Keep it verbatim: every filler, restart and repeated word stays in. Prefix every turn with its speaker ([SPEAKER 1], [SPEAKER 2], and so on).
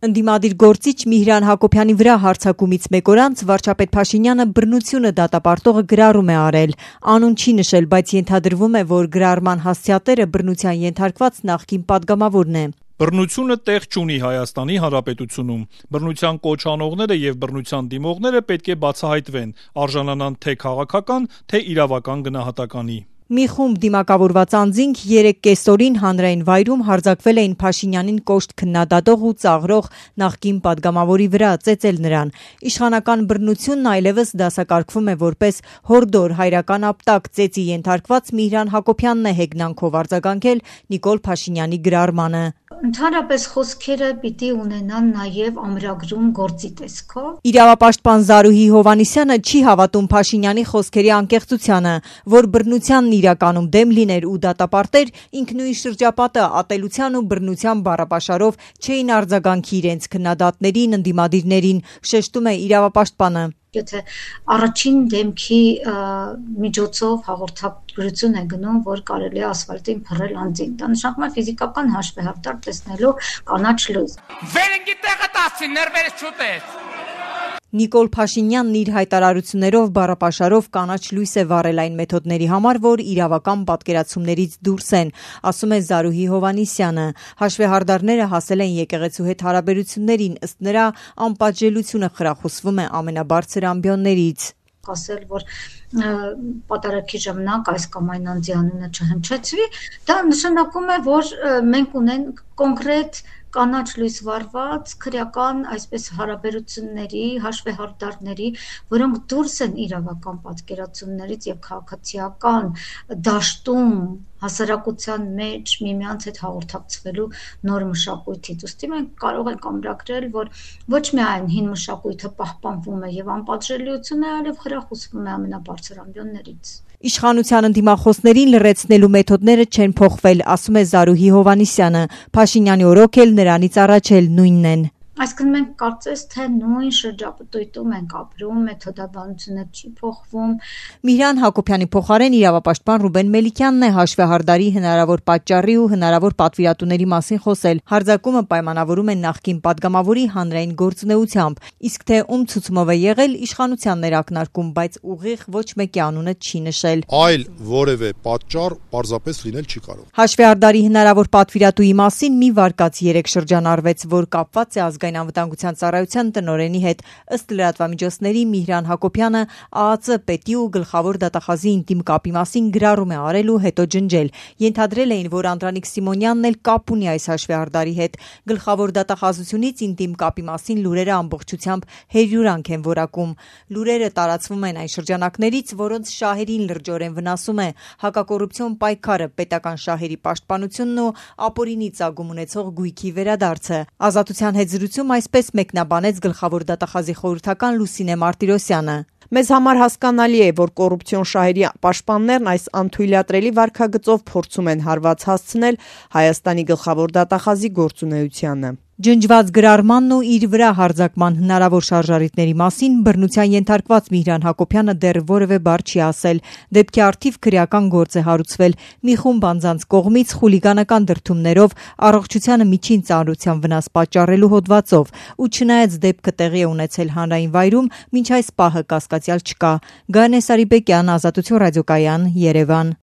[SPEAKER 1] Ընդդիմադիր գործիչ Միհրան Հակոբյանի վրա հարձակումից մեկ օր անց վարչապետ Փաշինյանը բռնությունը դատապարտողը գրառում է արել։ Անուն չի նշել, բայց ենթադրվում է, որ գրառման հասցեատերը բռնության ենթարկված նախկին падգամավորն է։
[SPEAKER 2] Բռնությունը տեղ չունի Հայաստանի Հանրապետությունում։ Բռնության կոչ անողները եւ բռնության դիմողները պետք է բացահայտվեն, արժանանան թե քաղաքական, թե իրավական գնահատականի։
[SPEAKER 1] Մի խումբ դիմակավորված անձինք երեկ կեսօրին հանրային վայրում հարձակվել էին Փաշինյանին կոշտ քննադատող ու ծաղրող նախկին падգամավորի վրա, ծեծել նրան։ Իշխանական բռնությունն այլևս դասակարգվում է որպես հորդոր հայրական ապտակ, ծեծի ենթարկված Միհրան Հակոբյանն է հեգնանքով արձագանքել Նիկոլ Փաշինյանի գրառմանը։
[SPEAKER 3] Ընդհանրապես խոսքերը պիտի ունենան նաև ամրագրում գործի տեսքով։
[SPEAKER 1] Իրավապաշտպան Զարուհի Հովհաննիսյանը չի հավատում Փաշինյանի խոսքերի անկեղծությանը, որ բռնությանն իրականում դեմ լիներ ու դատապարտեր, ինքնույն շրջապատը ատելության ու բռնության բառապաշարով չէին արձագանքի իրենց քննադատներին, ընդդիմադիրներին, շեշտում է իրավապաշտպանը։
[SPEAKER 3] Եթե առաջին դեմքի միջոցով հաղորդագրություն է գնում, որ կարելի է ասֆալտին փռել անձին, դա նշանակում է ֆիզիկական հաշվեհարդար տեսնելու կանաչ լույս։
[SPEAKER 4] Վերնքի տեղը տասին ներվերս չուտես։
[SPEAKER 1] Նիկոլ Փաշինյանն իր հայտարարություններով բառապաշարով կանաչ լույս է վառել այն մեթոդների համար, որ իրավական պատկերացումներից դուրս են, ասում է Զարուհի Հովհաննիսյանը։ Հաշվեհարդարները հասել են եկեղեցու հետ հարաբերություններին, ըստ նրա անպատժելիությունը խրախուսվում է ամենաբարձր ամբիոններից։
[SPEAKER 3] Ասել, որ պատարագի ժամանակ այս կամ այն անձի անունը չհնչեցվի, դա նշանակում է, որ մենք ունենք կոնկրետ կանաչ լույս վառված քրեական այսպես հարաբերությունների, հաշվեհարդարների, որոնք դուրս են իրավական պատկերացումներից եւ քաղաքացիական դաշտում հասարակության մեջ միմյանց հետ հաղորդակցվելու նոր մշակույթից։ Ուստի մենք կարող ենք ամրագրել, որ ոչ միայն հին մշակույթը պահպանվում է եւ անպատժելիությունը, այլև խրախուսվում է ամենաբարձր ամբիոններից։
[SPEAKER 1] Իշխանության ընդդիմախոսներին լրացնելու մեթոդները չեն փոխվել, ասում է Զարուհի Հովհաննիսյանը։ Փաշինյանի օրոք էլ նրանից առաջ էլ նույնն են։
[SPEAKER 3] Այսինքն մենք կարծես թե նույն շրջապտույտում ենք ապրում, մեթոդաբանությունը չի փոխվում։
[SPEAKER 1] Միհրան Հակոբյանի փոխարեն իրավապաշտպան Ռուբեն Մելիքյանն է հաշվեհարդարի հնարավոր պատճառի ու հնարավոր պատվիրատուների մասին խոսել։ Հարձակումը պայմանավորում է նախկին падգամավորի հանրային գործունեությամբ, իսկ թե ում ցուցումով է եղել, իշխանությանն էր ակնարկում, բայց ուղիղ ոչ մեկի անունը չի նշել։
[SPEAKER 5] Այլ որևէ պատճառ պարզապես լինել չի կարող։
[SPEAKER 1] Հաշվեհարդարի հնարավոր պատվիրատուի մասին մի վարկած երեք շրջանառվեց, որ կապված է ազգային անվտանգության ծառայության տնօրենի հետ։ Ըստ լրատվամիջոցների Միհրան Հակոբյանը ԱԱԾ պետի ու գլխավոր դատախազի ինտիմ կապի մասին գրառում է արել ու հետո ջնջել։ Ենթադրել էին, որ Անդրանիկ Սիմոնյանն էլ կապ ունի այս հաշվեհարդարի հետ։ Գլխավոր դատախազությունից ինտիմ կապի մասին լուրերը ամբողջությամբ հերյուրանք են որակում։ Լուրերը տարածվում են այն շրջանակներից, որոնց շահերին լրջորեն վնասում է հակակոռուպցիոն պայքարը, պետական շահերի պաշտպանությունն ու ապօրինի ծագում ունեցող գույքի վերադարձը։ Ազատության հետ զրույցում այսպես մեկնաբանեց գլխավոր դատախազի խորհրդական Լուսինե Մարտիրոսյանը։
[SPEAKER 6] Մեզ համար հասկանալի է, որ կոռուպցիոն շահերի պաշտպաններն այս անթույլատրելի վարքագծով փորձում են հարված հասցնել Հայաստանի գլխավոր դատախազի գործունեությանը։
[SPEAKER 1] Ջնջված գրառմանն ու իր վրա հարձակման հնարավոր շարժառիթների մասին բռնության ենթարկված Միհրան Հակոբյանը դեռ որևէ բառ չի ասել։ Դեպքի առթիվ քրեական գործ է հարուցվել մի խումբ անձանց կողմից խուլիգանական դրդումներով առողջությանը միջին ծանրության վնաս պատճառելու հոդվածով, ու չնայած դեպքը տեղի է ունեցել հանրային վայրում, մինչ այս պահը կասկածյալ չկա։ Գայանե Սարիբեկյան, Ազատություն ռադիոկայան, Երևան։